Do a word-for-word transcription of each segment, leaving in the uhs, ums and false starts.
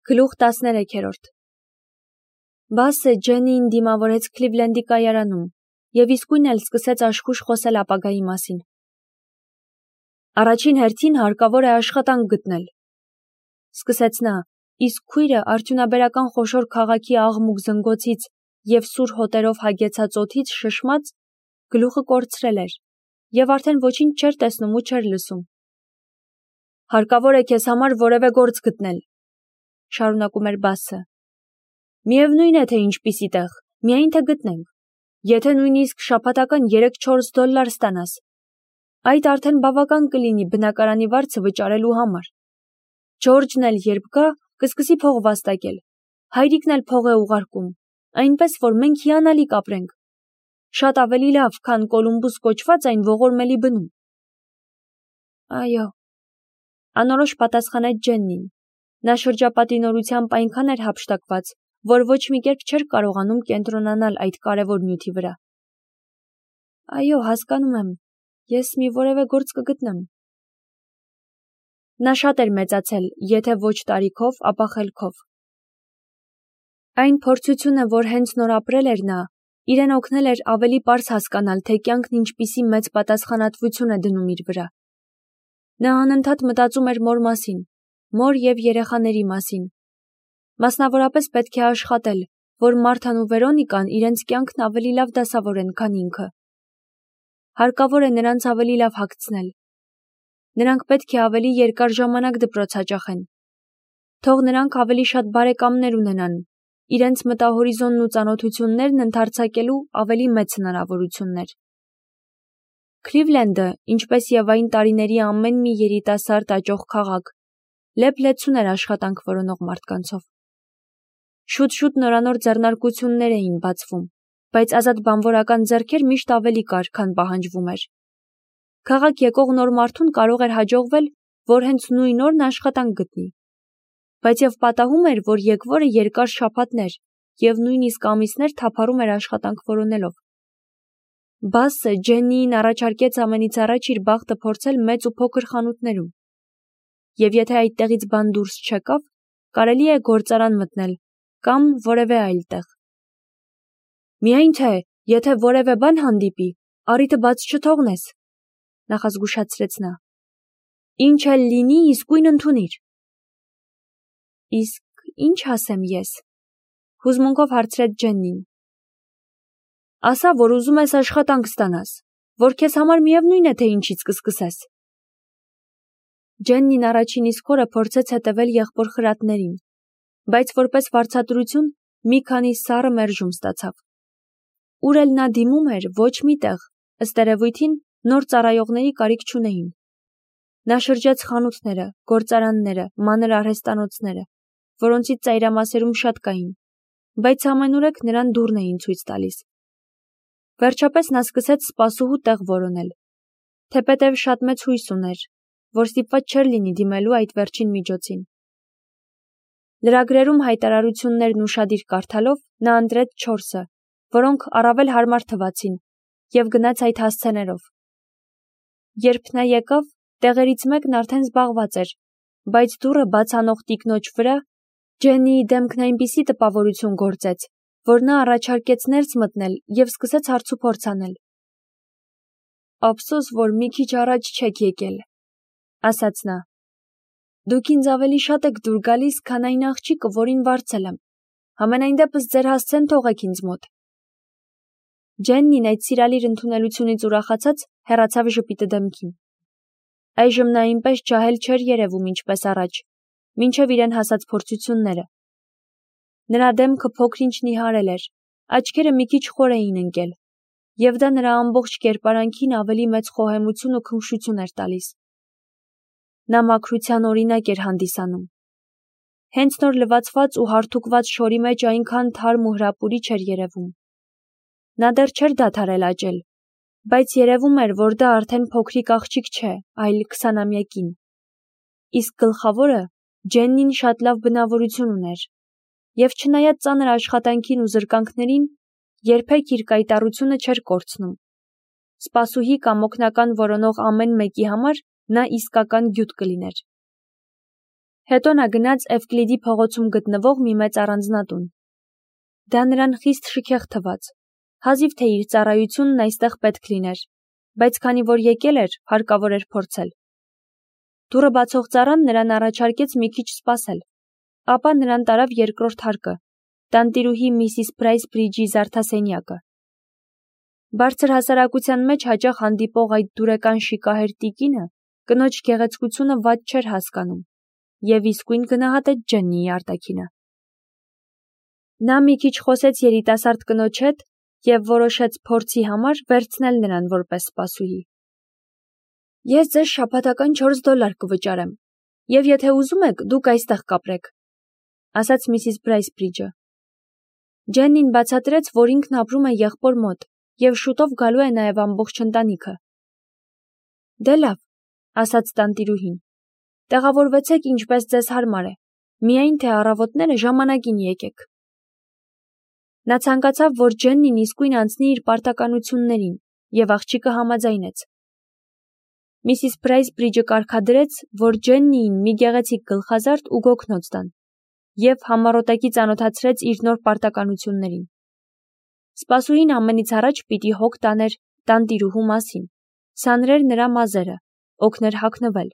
Գլուխ տասներեքերորդ Բասը Ջեննիին դիմավորեց Քլիվլենդի կայարանում և իսկույն էլ սկսեց աշխույժ խոսել ապագայի մասին։ Առաջին հերթին հարկավոր է աշխատանք գտնել, սկսեց նա, իսկ քույրը արդյունաբերական խոշոր քաղաքի աղմուկ զնգոցից և սուր հոտերով հագեցած օդից շշմած գլուխը կորցրել էր և արդեն ոչինչ չէր տեսնում ու չէր լսում։ Հարկավոր է քեզ համար որևէ գործ գտնել, շարունակում էր Բասը։ Միևնույն է, թե ինչպիսի տեղ, միայն թե գտնենք, եթե նույնիսկ շաբաթական երեք-չորս դոլլար ստանաս, այդ արդեն բավական կլինի բնակարանի վարձը վճարելու համար։ Ջորջն էլ երբ գա, կսկսի փող վաստակել, հայրիկն էլ փող է ուղարկում, այնպես որ մենք հիանալի կապրենք, շատ ավելի լավ, քան Կոլումբուս կոչված այն ողորմելի բնում։ Այո, անորոշ պատասխանեց Ջեննին։ Նա շրջապատի նորությամբ այնքան էր հափշտակված, որ ոչ մի կերպ չէր կարողանում կենտրոնանալ այդ կարևոր նյութի վրա։ Այո, հասկանում եմ, ես մի որևէ գործ կգտնեմ։ Նա շատ էր մեծացել, եթե ոչ տարիքով, ապա խելքով։ Այն փորձությունը, որ հենց նոր ապրել էր նա, իրեն օգնել էր ավելի պարզ հասկանալ, թե կյանքն ինչպիսի մեծ պատասխանատվություն է դնում իր վրա։ Նա անընդհատ մտածում էր մոր մասին, մոր և երեխաների մասին։ Մասնավորապես պետք է աշխատել, որ Մարթան ու Վերոնիկան իրենց կյանքն ավելի լավ դասավորեն, քան ինքը։ Հարկավոր է նրանց ավելի լավ հագցնել։ Նրանք պետք է ավելի երկար ժամանակ դպրոց հաճախեն։ Թող նրանք ավելի շատ բարեկամներ ունենան, իրենց մտահորիզոնն ու ծանոթություններն ընդարձակելու ավելի մեծ հնարավորություններ։ Քլիվլենդը, ինչպես և այն տարիների ամեն մի երիտասարդ աճող քաղաք, լեփ-լեցուն էր աշխատանք որոնող մարդկանցով։ Շուտ-շուտ նորանոր ձեռնարկություններ էին բացվում, բայց ազատ բանվորական ձեռքեր միշտ ավելի կար, քան պահանջվում էր։ Քաղաք եկող նոր մարդուն կարող էր հաջողվել, որ հենց նույն օրն աշխատանք գտնի։ Բայց և պատահում էր, որ եկվորը երկար շաբաթներ և նույնիսկ ամիսներ թափառում էր աշխատանք որոնելով։ Բասը Ջեննիին առաջարկեց ամենից առաջ իր բախտը փորձել մեծ ու փոքր խանութներում։ Եվ եթե այդտեղից բան դուրս չեկավ, կարելի է գործարան մտնել կամ որևէ այլ տեղ։ Միայն թե, եթե որևէ բան հանդիպի, առիթը բաց չթողնես, նախազգուշացրեց նա։ Ինչ էլ լինի, իսկույն ընդունիր։ Իսկ ինչ ասեմ ես, հուզմունքով հարցրեց Ջեննին։ Ասա, որ ուզում ես աշխատանք ստանաս, որ քեզ համար միևնույն է, թե ինչից կսկսես։ Ջեննին առաջին իսկ օրը փորձեց հետևել եղբոր խրատներին, բայց որպես վարձատրություն մի քանի սառը մերժում ստացավ։ Ուր էլ նա դիմում էր, ոչ մի տեղ, ըստ երևույթին, նոր ծառայողների կարիք չունեին։ Նա շրջեց խանութները, գործարանները, մանր արհեստանոցները, որոնցից ծայրամասերում շատ կային, բայց ամենուրեք նրան դուռն էին ցույց տալիս։ Վերջապես նա սկսեց սպասուհու տեղ որոնել, թեպետև շատ մեծ հույս ուներ, որ ստիպված չէր լինի դիմելու այդ վերջին միջոցին։ Լրագրերում հայտարարություններն ուշադիր կարդալով նա ընտրեց չորսը, որոնք առավել հարմար թվացին, և գնաց այդ հասցեներով։ Երբ նա եկավ, տեղերից մեկն արդեն զբաղված էր, բայց դուռը բաց անող տիկնոջ վրա Ջեննիի դեմքն այնպիսի տպավորություն գործեց, որ նա առաջարկեց ներս մտնել և սկսեց հարցուփորձ անել։ Ափսոս, որ մի քիչ առաջ չեք եկել, ասաց նա։ Դուք ինձ ավելի շատ եք դուր գալիս, քան այն աղջիկը, որին վարձել եմ։ Համենայն դեպս ձեր հասցեն թողեք ինձ մոտ։ Ջեննին այդ սիրալիր ընդունելությունից ուրախացած հեռացավ ժպիտը դեմքին։ Այժմ նա այնպես ջահել չէր երևում, ինչպես առաջ, մինչև իրեն հասած փորձությունները։ Նրա դեմքը փոքր-ինչ նիհարել էր, աչքերը մի քիչ խոր էին ընկել, և դա նրա ամբողջ կերպարանքին ավելի մեծ խոհեմություն ու քնքշություն էր տալիս։ Նա մաքրության օրինակ էր հանդիսանում։ Հենց նոր լվացված ու հարթուկված շորի մեջ այնքան թարմ ու հրապուրիչ էր երևում։ Նա դեռ չէր դադարել աճել, բայց երևում էր, որ դա արդեն փոքրիկ աղջիկ չէ, այլ քսանամյա կին։ Իսկ գլխավորը Ջեննին շատ լավ բնավորություն ուներ, և չնայած ծանր աշխատանքին ու զրկանքներին, երբեք իր կայտառությունը չէր կորցնում։ Սպասուհի կամ օգնական որոնող ամեն մեկի համար նա իսկական գյուտ կլիներ։ Հետո նա գնաց Էվկլիդի փողոցում գտնվող մի մեծ առանձնատուն։ Դա նրան խիստ շքեղ թվաց, հազիվ թե իր ծառայությունն այստեղ պետք լիներ, բայց քանի որ եկել էր, հարկավոր էր փորձել։ Դուռը բացող ծառան նրան առաջարկեց մի քիչ սպասել, ապա նրան տարավ երկրորդ հարկը, տանտիրուհի միսիս Պրայս Բրիջի զարդասենյակը։ Բարձր հասարակության մեջ հաճախ հանդիպող այդ դուրեկան շիկահեր տիկինը կնոջ գեղեցկությունը վատ չէր հասկանում և իսկույն գնահատեց Ջեննիի արտաքինը։ Նա մի քիչ խոսեց երիտասարդ կնոջ հետ և որոշեց փորձի համար վերցնել նրան որպես սպասուհի։ Ես ձեզ շաբաթական չորս դոլար կվճարեմ, և եթե ուզում եք, դուք այստեղ կապրեք, ասաց միսիս Պրայս Բրիջը։ Ջեննին բացատրեց, որ ինքն ապրում է եղբոր մոտ և շուտով գալու է նաև ամբողջ ընտանիքը։ Դե լավ, ասաց տանտիրուհին, տեղավորվեցեք ինչպես ձեզ հարմար է, միայն թե առավոտները ժամանակին եկեք։ Նա ցանկացավ, որ Ջեննին իսկույն անցնի իր պարտականություններին, և աղջիկը համաձայնեց։ Միսիս Պրայս Բրիջը կարգադրեց, որ Ջեննիին մի գեղեցիկ գլխազարդ ու գոգնոց տան, և համառոտակի ծանոթացրեց իր նոր պարտականություններին։ Սպասուհին ամենից առաջ պիտի հոգ տաներ տանտիրուհու մասին, սանրեր նրա մազերը, օգներ հագնվել։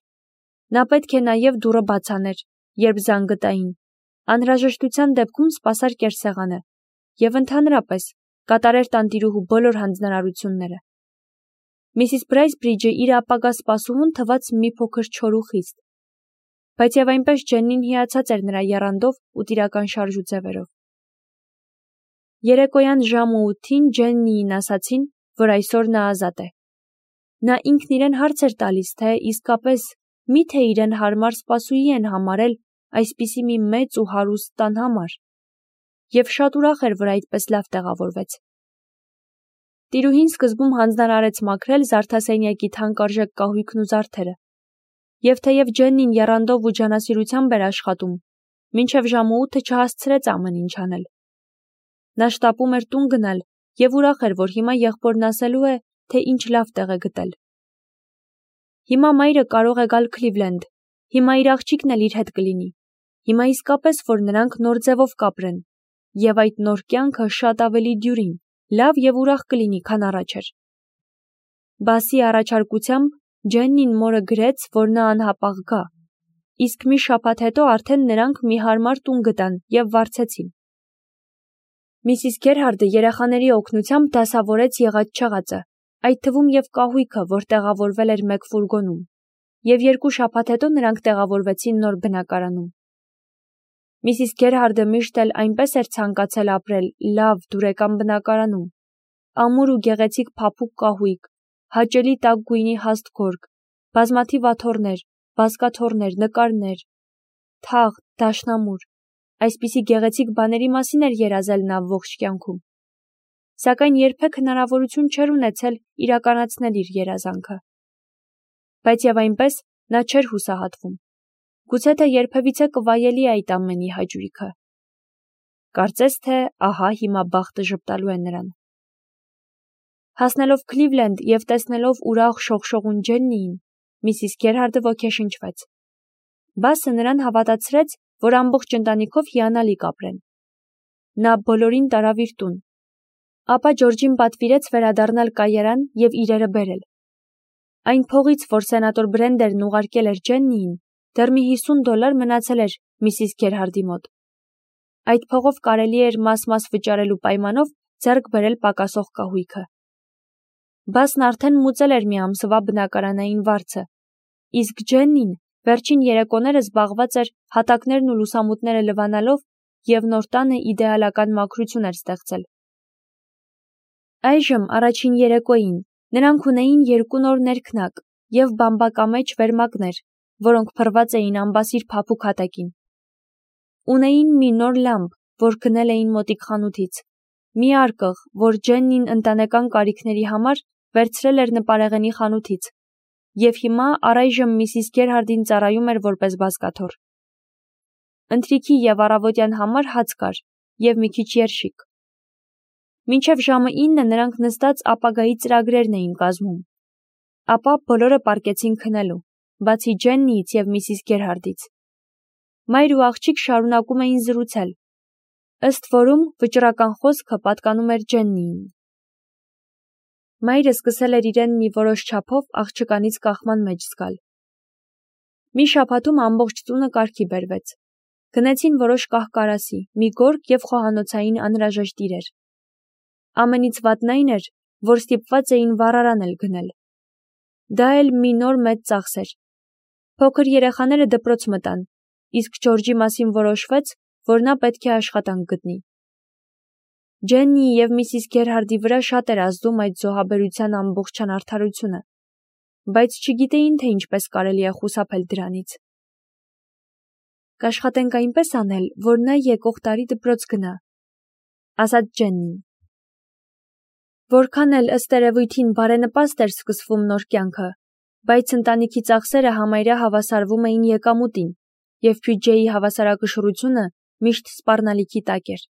Նա պետք է նաև դուռը բաց աներ, երբ զանգը տային, անհրաժեշտության դեպքում սպասար կերսեղանը և ընդհանրապես կատարեր տանտիրուհու բոլոր հանձնարարությունները։ Միսիս Պրայս Բրիջը իր ապագա սպասուհուն թվաց մի փոքր չոր ու խիստ, բայց և այնպես Ջեննին հիացած էր նրա եռանդով ու տիրական շարժուձևերով։ Երեկոյան ժամը ութին Ջեննիին ասացին, որ այսօր նա ազատ է։ Նա ինքն իրեն հարց էր տալիս, թե իսկապես մի՞թե իրեն հարմար սպասուհի են համարել այսպիսի մի մեծ ու հարուստ տան համար, և շատ ուրախ էր, որ այդպես լավ տեղավորվեց։ Տիրուհին սկզբում հանձնարարեց մաքրել զարդասենյակի թանկարժեք կահույքն ու զարդերը, և թեև Ջեննին եռանդով ու ջանասիրությամբ էր աշխատում, մինչև ժամը ութը չհասցրեց ամեն ինչ անել։ Նա շտապում էր տուն գնալ և ուրախ էր, որ հիմա եղբորն ասելու է, թե ինչ լավ տեղ է գտել։ Հիմա մայրը կարող է գալ Քլիվլենդ, հիմա իր աղջիկն էլ իր հետ կլինի, հիմա իսկապես, որ նրանք նոր ձևով կապրեն, և այդ նոր կյանքը շատ ավելի դյուրին, լավ և ուրախ կլինի, քան առաջ էր։ Բասի առաջարկությամբ Ջեննին մորը գրեց, որ նա անհապաղ գա, իսկ մի շաբաթ հետո արդեն նրանք մի հարմար տուն գտան և վարձեցին։ Միսիս Գերհարդը երեխաների օգնությամբ դասավորեց եղած-չեղածը, այդ թվում և կահույքը, որ տեղավորվել էր մեկ ֆուրգոնում, և երկու շաբաթ հետո նրանք տեղավորվեցին նոր բնակարանում։ Միսիս Գերհարդը միշտ էլ այնպես էր ցանկացել ապրել լավ դուրեկան բնակարանում, ամուր ու գեղեցիկ փափուկ կահույք, հաճելի տաք գույնի հաստ գորգ, բազմաթիվ աթոռներ, բազկաթոռներ, նկարներ, թաղ, դաշնամուր, այսպիսի գեղեցիկ բաների մասին էր երազել նա ողջ կյանքում, սակայն երբեք հնարավորություն չէր ունեցել իրականացնել իր երազանքը։ Բայց և այնպես նա չէր հուսահատվում, գուցե թե երբևիցե կվայելի այդ ամենի հաճույքը։ Կարծես թե ահա հիմա բախտը ժպտալու է նրան։ Հասնելով Քլիվլենդ և տեսնելով ուրախ շողշողուն Ջեննիին, միսիս Գերհարդը ոգեշնչվեց։ Բասը նրան հավատացրեց, որ ամբողջ ընտանիքով հիանալի կապրեն։ Նա բոլորին տարավ իր տուն, ապա Ջորջին պատվիրեց վերադառնալ կայարան և իրերը բերել։ Այն փողից, որ սենատոր Բրենդերն ուղարկել էր Ջեննիին, դեռ մի հիսուն դոլար մնացել էր միսիս Գերհարդի մոտ։ Այդ փողով կարելի էր մաս-մաս վճարելու պայմանով ձեռք բերել պակասող կահույքը։ Բասն արդեն մուծել էր մի ամսվա բնակարանային վարձը, իսկ Ջեննին վերջին երեկոները զբաղված էր հատակներն ու լուսամուտները լվանալով և նոր տանը իդեալական մաքրություն էր ստեղծել։ Այժմ առաջին երեկոյին նրանք ունեին երկու նոր ներքնակ և բամբակամեջ վերմակներ, որոնք փռված էին ամբասիր փափուկ հատակին։ Ունեին մի նոր լամպ, որ գնել էին մոտիկ խանութից, մի արկղ, որ Ջեննին ընտանեկան կարիքների համար վերցրել էր նպարեղենի խանութից, և հիմա առայժմ միսիս Գերհարդին ծառայում էր որպես բազկաթոռ։ Ընթրիքի և առավոտյան համար հաց կար և մի քիչ երշիկ։ Մինչև ժամը ինը նրանք նստած ապագայի ծրագրերն էին կազմում, ապա բոլորը պառկեցին քնելու, բացի Ջեննիից և միսիս Գերհարդից։ Մայր ու աղջիկ շարունակում էին զրուցել, ըստ որում վճռական խոսքը պատկանում էր Ջեննիին։ Մայրը սկսել էր իրեն մի որոշ չափով աղջկանից կախման մեջ զգալ։ Մի շաբաթում ամբողջ տունը կարգի բերվեց։ Գնեցին որոշ կահ-կարասի, մի գորգ և խոհանոցային անհրաժեշտ իրեր։ Ամենից վատն այն էր, որ ստիպված էին վառարան էլ գնել։ Դա էլ մի նոր մեծ ծախս էր։ Փոքր երեխաները դպրոց մտան, իսկ Ջորջի մասին որոշվեց, որ նա պետք է աշխատանք գտնի։ Ջեննիի և միսիս Գերհարդի վրա շատ էր ազդում այդ զոհաբերության ամբողջ անարդարությունը, բայց չգիտեին, թե ինչպես կարելի է խուսափել դրանից։ Կաշխատենք այնպես անել, որ նա եկող տարի դպրոց գնա, ասաց Ջեննին։ Որքան էլ ըստ երևույթին բարենպաստ էր սկսվում նոր կյանքը, բայց ընտանիքի ծախսերը համարյա հավասարվում էին եկամուտին, և բյուջեի հավասարակշռությունը միշտ սպառնալիքի տակ էր։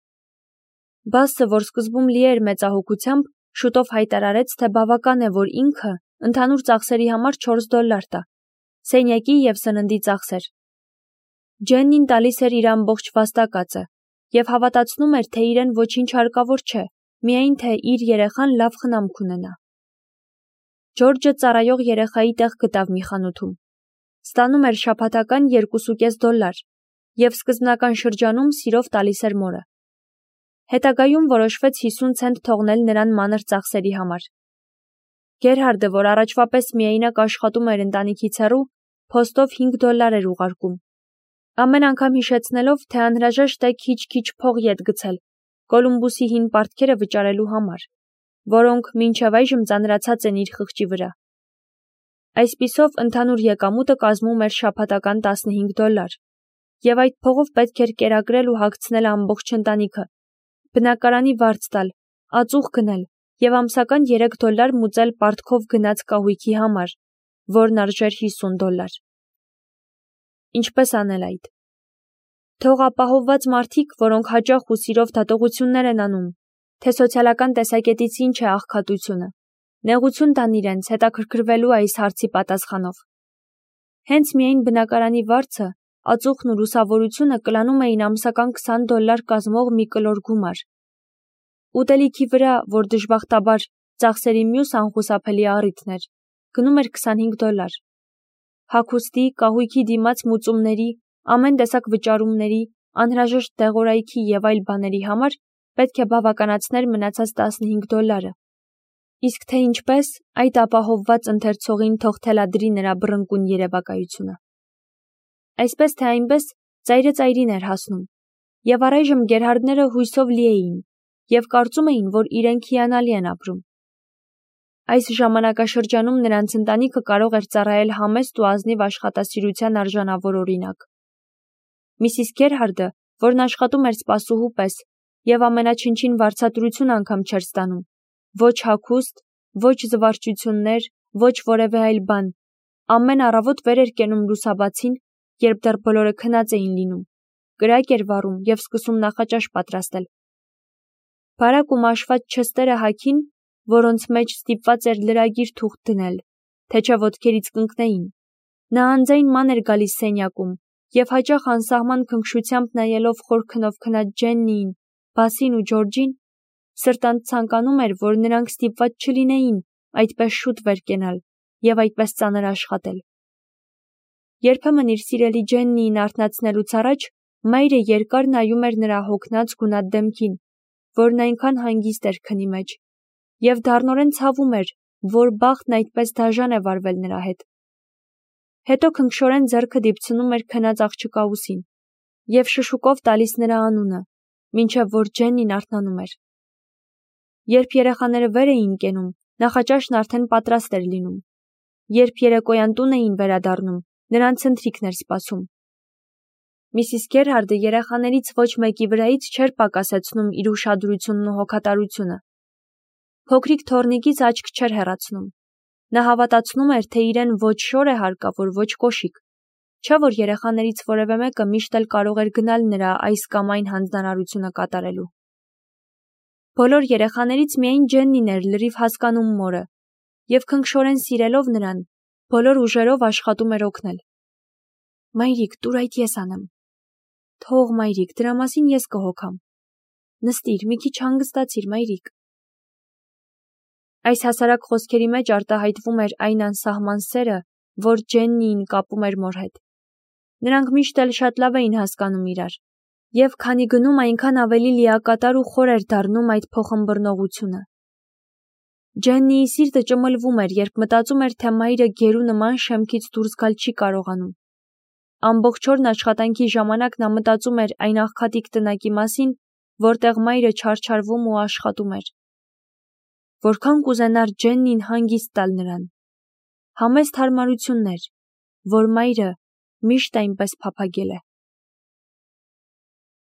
Բասը, որ սկզբում լի էր մեծահոգությամբ, շուտով հայտարարեց, թե բավական է, որ ինքը ընդհանուր ծախսերի համար չորս դոլար տա, սենյակի և սննդի ծախսեր։ Ջեննին տալիս էր իր ամբողջ վաստակածը և հավատացնում էր, թե իրեն ոչինչ հարկավոր չէ, միայն թե իր երեխան լավ խնամք ունենա։ Ջորջը ծառայող երեխայի տեղ գտավ մի խանութում։ Ստանում էր շաբաթական երկուսուկես դոլար և սկզբնական շրջանում սիրով տալիս էր մորը։ Հետագայում որոշվեց հիսուն ցենտ թողնել նրան մանր ծախսերի համար։ Գերհարդը, որ առաջվա պես միայնակ աշխատում էր ընտանիքից հեռու, փոստով հինգ դոլար էր ուղարկում։ Ամեն անգամ հիշեցնելով, թե անհրաժեշտ է քիչ-քիչ փող ետ գցել Կոլումբուսի հին պարտքերը վճարելու համար, որոնք մինչև այժմ ծանրացած են իր խղճի վրա։ Այսպիսով ընդհանուր եկամուտը կազմում էր շաբաթական տասնհինգ դոլար, և այդ փողով պետք էր կերակրել ու հագցնել ամբողջ ընտանիքը, բնակարանի վարձ տալ, ածուխ գնել և ամսական երեք դոլար մուծել պարտքով գնած կահույքի համար, որն արժեր հիսուն դոլար։ Ինչպես անել այդ։ Թող ապահովված մարդիկ, որոնք հաճախ ու սիրով դատողություններ են անում, թե սոցիալական տեսակետից ինչ է աղքատությունը, նեղություն տան իրենց հետաքրքրվելու այս հարցի պատասխանով։ Հենց միայն բնակարանի վարձը, ածուխն ու լուսավորությունը կլանում էին ամսական քսան դոլար կազմող մի կլոր գումար։ Ուտելիքի վրա, որ դժբախտաբար ծախսերի մյուս անխուսափելի առիթն էր, գնում էր քսանհինգ դոլար։ Հագուստի, կահույքի դիմաց մուծումների, ամեն տեսակ վճարումների, անհրաժեշտ դեղորայքի և այլ բաների համար պետք է բավականացներ մնացած տասնհինգ դոլարը։ Իսկ թե ինչպես, այդ ապահովված ընթերցողին թող թելադրի նրա բռնկուն երևակայությունը։ Այսպես թե այնպես ծայրը ծայրին էր հասնում, և առայժմ Գերհարդները հույսով լի էին և կարծում էին, որ իրենք հիանալի են ապրում։ Այս ժամանակաշրջանում նրանց ընտանիքը կարող էր ծառայել համեստ ու ազնիվ աշխատասիրության արժանավոր օրինակ։ Միսիս Գերհարդը, որն աշխատում էր սպասուհու պես և ամենաչնչին վարձատրություն անգամ չէր ստանում, ոչ հագուստ, ոչ զվարճություններ, ոչ որևէ այլ բան, ամեն առավոտ վեր էր կենում լուսաբացին, երբ դեռ բոլորը քնած էին լինում, կրակ էր վառում և սկսում նախաճաշ պատրաստել։ Բարակ ու մաշված չստերը հագին, որոնց մեջ ստիպված էր լրագիր թուղթ դնել, թե չէ ոտքերից կընկնեին։ Նա անձայն ման էր գալիս սենյակում և հաճախ անսահման քնքշությամբ նայելով խոր քնով քնած Ջեննիին, Բասին ու Ջորջին, սրտանց ցանկանում էր, որ նրանք ստիպված չլինեին այդպես շուտ վեր կենալ և այդպես ծանր աշխատել։ Երբեմն իր սիրելի Ջեննիին արթնացնելուց առաջ մայրը երկար նայում էր նրա հոգնած գունատ դեմքին, որն այնքան հանգիստ էր քնի մեջ, և դառնորեն ցավում էր, որ բախտն այդպես դաժան է վարվել նրա հետ։ Հետո քնքշորեն ձեռքը դիպցնում էր քնած աղջկա ուսին և շշուկով տալիս նրա անունը, մինչև որ Ջեննին արթնանում էր։ Երբ երեխաները վեր էին կենում, նախաճաշն արդեն պատրաստ էր լինում։ Երբ երեկոյան տուն էին վերադառնում, նրանց ընթրիքն էր սպասում։ Միսիս Գերհարդը երեխաներից ոչ մեկի վրայից չէր պակասեցնում իր ուշադրությունն ու հոգատարությունը։ Փոքրիկ թոռնիկից աչք չէր հեռացնում։ Նա հավատացնում էր, թե իրեն ոչ շոր է հարկավոր, ոչ կոշիկ, չէ՞ որ երեխաներից որևէ մեկը միշտ էլ կարող էր գնալ նրա այս կամ այն հանձնարարությունը կատարելու։ Բոլոր երեխաներից միայն Ջեննին էր լրիվ հասկանում մորը, և քնքշորեն սիրելով նրան, բոլոր ուժերով աշխատում էր օգնել։ Մայրիկ, տուր այդ ես անեմ, Թող մայրիկ, դրա մասին ես կհոգամ։ Նստիր, մի քիչ հանգստացիր, մայրիկ։ Այս հասարակ խոսքերի մեջ արտահայտվում էր այն անսահման սերը, որ Ջեննիին կապում էր մոր հետ։ Նրանք միշտ էլ շատ լավ էին հասկանում իրար, և քանի գնում այնքան ավելի լիակատար ու խոր էր դառնում այդ փոխըմբռնողությունը։ Ջեննիի սիրտը ճմլվում էր, երբ մտածում էր, թե մայրը գերու նման շեմքից դուրս գալ չի կարողանում։ Ամբողջ օրն աշխատանքի ժամանակ նա մտածում էր այն աղքատիկ տնակի մասին, որտեղ մայրը չարչարվում ու աշխատում էր։ Որքան կուզենար Ջեննին հանգիստ տալ նրան։ Համեստ հարմարություններ, որ մայրը միշտ այնպես փափագել է։